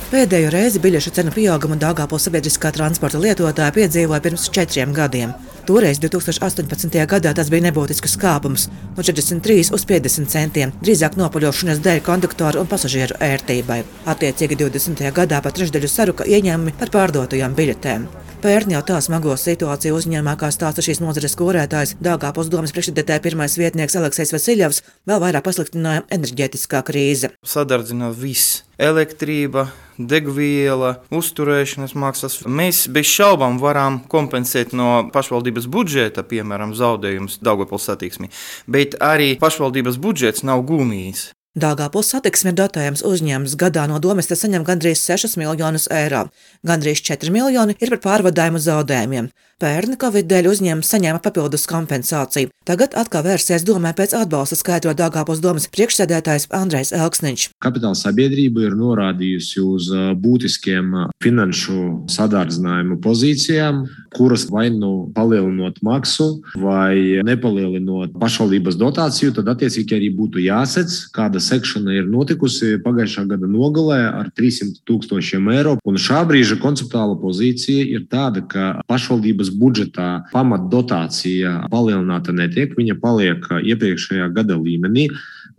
Pēdējo reizi biļešu cenu pieaugumu Daugavpils sabiedriskā transporta lietotāji piedzīvoja pirms 4 gadiem. Toreiz 2018. gadā tas bija nebūtisks kāpums no 43 uz 50 centiem, drīzāk nopaļošanās dēļ konduktoru un pasažieru ērtībai. Attiecīgi 20. gadā pat trešdaļu saruka ieņēmumi par pārdotajām biļetēm. Pērn jau tā smago situāciju uzņēmumā, kā stāsta šīs nozares kūrētājs, Daugavpils domes priekšsēdētāja pirmais vietnieks Aleksejs Vasiļevs, vēl vairāk pasliktināja enerģētiskā krīze. Sadārdzina viss - elektrība, degviela, uzturēšanas maksas. Mēs bez šaubām varam kompensēt no pašvaldības budžeta, piemēram, zaudējumus Daugavpils satiksmei, bet arī pašvaldības budžets nav gumijs. Daugavpils satiksme ir dotējams uzņēmums, gadā no domes te saņem gandrīz 6 miljonus eiro. Gandrīz 4 miljoni ir par pārvadājumu zaudējumiem. Pērn Covid dēļ uzņēmums saņēma papildus kompensāciju. Tagad atkal vērsies domē pēc atbalsta, skaidro Daugavpils domes priekšsēdētājs Andrejs Elksniņš. Kapitāla sabiedrība ir norādījusi uz būtiskiem finanšu sadārdzinājumu pozīcijām, kuras vai nu palielinot maksu vai nepalielinot pašvaldības dotāciju, tad attiecīgi arī būtu jāsec, kāda sekšana ir notikusi pagājušā gada nogalē ar 300 000 eiro. Un šā brīža konceptuāla pozīcija ir tāda, ka pašvaldības budžetā pamatdotācija palielināta netiek, viņa paliek iepriekšējā gada līmenī.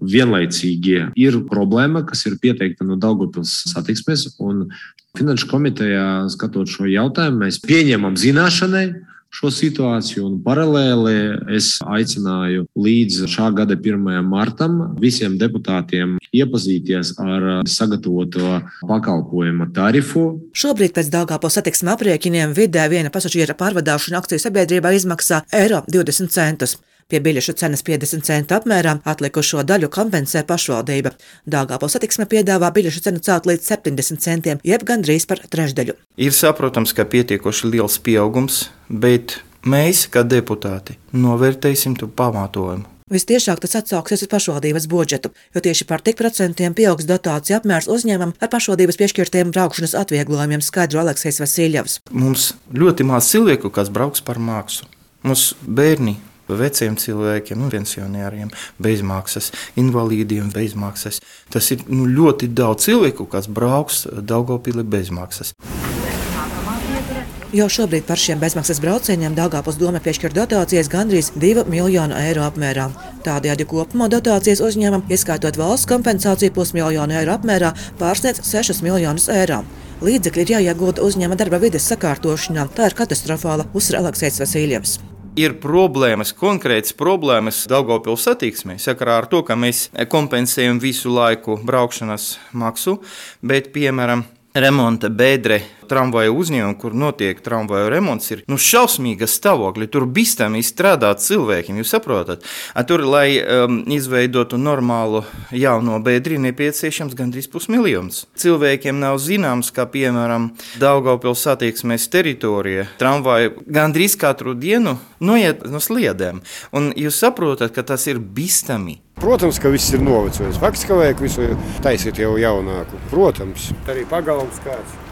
Vienlaicīgi ir problēma, kas ir pieteikta no Daugavpils satiksmes, un Finanšu komitejā, skatot šo jautājumu, mēs pieņemam zināšanai šo situāciju, un paralēli es aicināju līdz šā gada 1. martam visiem deputātiem iepazīties ar sagatavoto pakalpojuma tarifu. Šobrīd pēc Daugavpils satiksmes aprēķiniem vidē viena pasažiera pārvadāšana akciju sabiedrībā izmaksā eiro 20 centus. Pie biļešu cenas 50 centu apmērā atlikušo daļu kompensē pašvaldība. Daugavpils satiksme piedāvā biļešu cenu celt līdz 70 centiem, jeb gandrīz par trešdaļu. Ir saprotams, ka pietiekoši liels pieaugums, bet mēs, kā deputāti, novērtēsim to pamatojumu. Vistiešāk tas atsauksies uz pašvaldības budžetu, jo tieši par tik procentiem pieaugs dotāciju apmērs uzņēmumam ar pašvaldības piešķirtiem braukšanas atvieglojumiem, skaidro Aleksejs Vasiļevs. Mums ļoti maz cilvēku, kas brauks par maksu. Mums bērni, veciem cilvēkiem, pensionāriem bezmaksas, invalīdiem bezmaksas. Tas ir ļoti daudz cilvēku, kas brauks Daugavpilī bezmaksas. Jau šobrīd par šiem bezmaksas braucieniem Daugavpils dome piešķir dotācijas gandrīz 2 miljonu eiro apmērā. Tādējādi kopumā dotācijas uzņēmumam, ieskaitot valsts kompensāciju 500 000 eiro apmērā, pārsniedz 6 miljonus eiro. Līdzekļi ir jāiegulda uzņēmuma darba vides sakārtošanā. Tā ir katastrofāla, uzsver Aleksejs Vasiļevs. Ir problēmas, konkrētas problēmas Daugavpils satiksmē, sakarā ar to, ka mēs kompensējam visu laiku braukšanas maksu, bet, piemēram, remonta bedre tramvaju uzņēmumu, kur notiek tramvaju remonts, ir šausmīga stāvokļa. Tur bīstami strādāt cilvēkiem, jūs saprotat? Tur, lai izveidotu normālu jauno bedri, nepieciešams gandrīz 500 000. Cilvēkiem nav zināms, ka, piemēram, Daugavpils satiksmes teritorija tramvaju gandrīz katru dienu noiet no sliedēm. Un jūs saprotat, ka tas ir bīstami. Protams, ka viss ir novecojis. Faktiski, ka vajag visu taisīt jau jaunāku. Protams, arī pagalms kāds.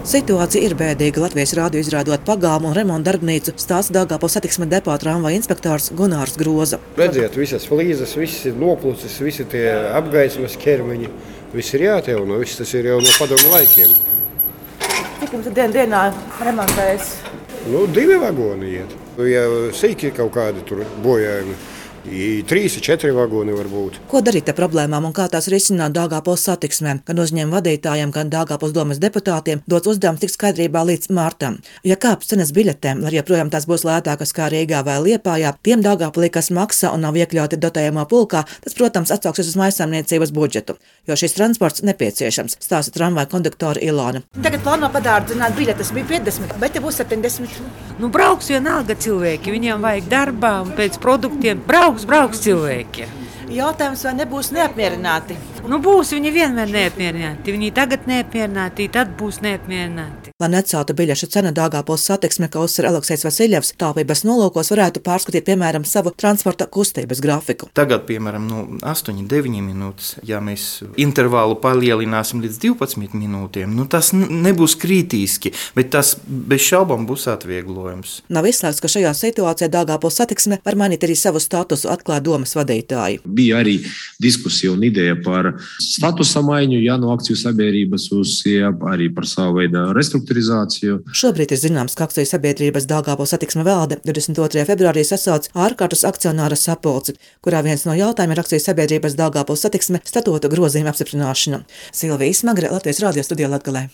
Situācija ir bēdīga. Latvijas rādio izrādot pagalmu un remonta darbnīcu, stāsta Daugavpils satiksmes depo tramvaju inspektors Gunārs Groza. Redziet, visas flīzes, viss ir noplucis, visi tie apgaismas ķermeņi, viss ir jāatjauno, viss tas ir jau no padomu laikiem. Cik jums dienā remontējas? 2 vagoni iet. Ja sīki kaut kādi tur bojājumi. 3-4 vagoni var būt. Ko darīt ar problēmām un kā tās risināt Daugavpils satiksmē? Gan uzņēmuma vadītājiem, gan Daugavpils domes deputātiem dots uzdevums tikt skaidrībā līdz martam. Ja kāps cenas biļetēm, lai joprojām tās būs lētākas kā Rīgā vai Liepājā, tiem Daugavpilī, kas maksā un nav iekļauti dotējumā pulkā, tas, protams, atsauksies uz mājsaimniecības budžetu, jo šis transports nepieciešams, stāsta tramvaju konduktore Ilona. Tagad plāno padārdzināt biļetes, bija 50, bet te būs 70. Brauks vienalga cilvēki, viņiem vajag darbā un pēc produktiem. Brauks cilvēki. Jautājums, vai nebūs neapmierināti? Būs viņi vienmēr neapmierināti. Viņi tagad neapmierināti, tad būs neapmierināti. Lai neceltu biļešu cenu Daugavpils satiksme, kā uzsver Aleksejs Vasiļevs, taupības nolūkos varētu pārskatīt, piemēram, savu transporta kustības grafiku. Tagad, piemēram, 8-9 minūtes, ja mēs intervālu palielināsim līdz 12 minūtēm, tas nebūs kritiski, bet tas bez šaubām būs atvieglojums. Nav izslēgts, ka šajā situācijā Daugavpils satiksme var mainīt arī savu statusu, atklāja domas vadītāji. Bija arī diskusija un ideja par statusa maiņu, no akciju sabiedrības uz arī par savu veidu restruktūrizāciju. Šobrīd ir zināms, ka akciju sabiedrības Daugavpils satiksme valde 22. februārī sasauc ārkārtas akcionāra sapulci, kurā viens no jautājumiem ir akciju sabiedrības Daugavpils satiksme statūta grozījuma apstiprināšana. Silvija Smagre, Latvijas radio studijā Latgalē.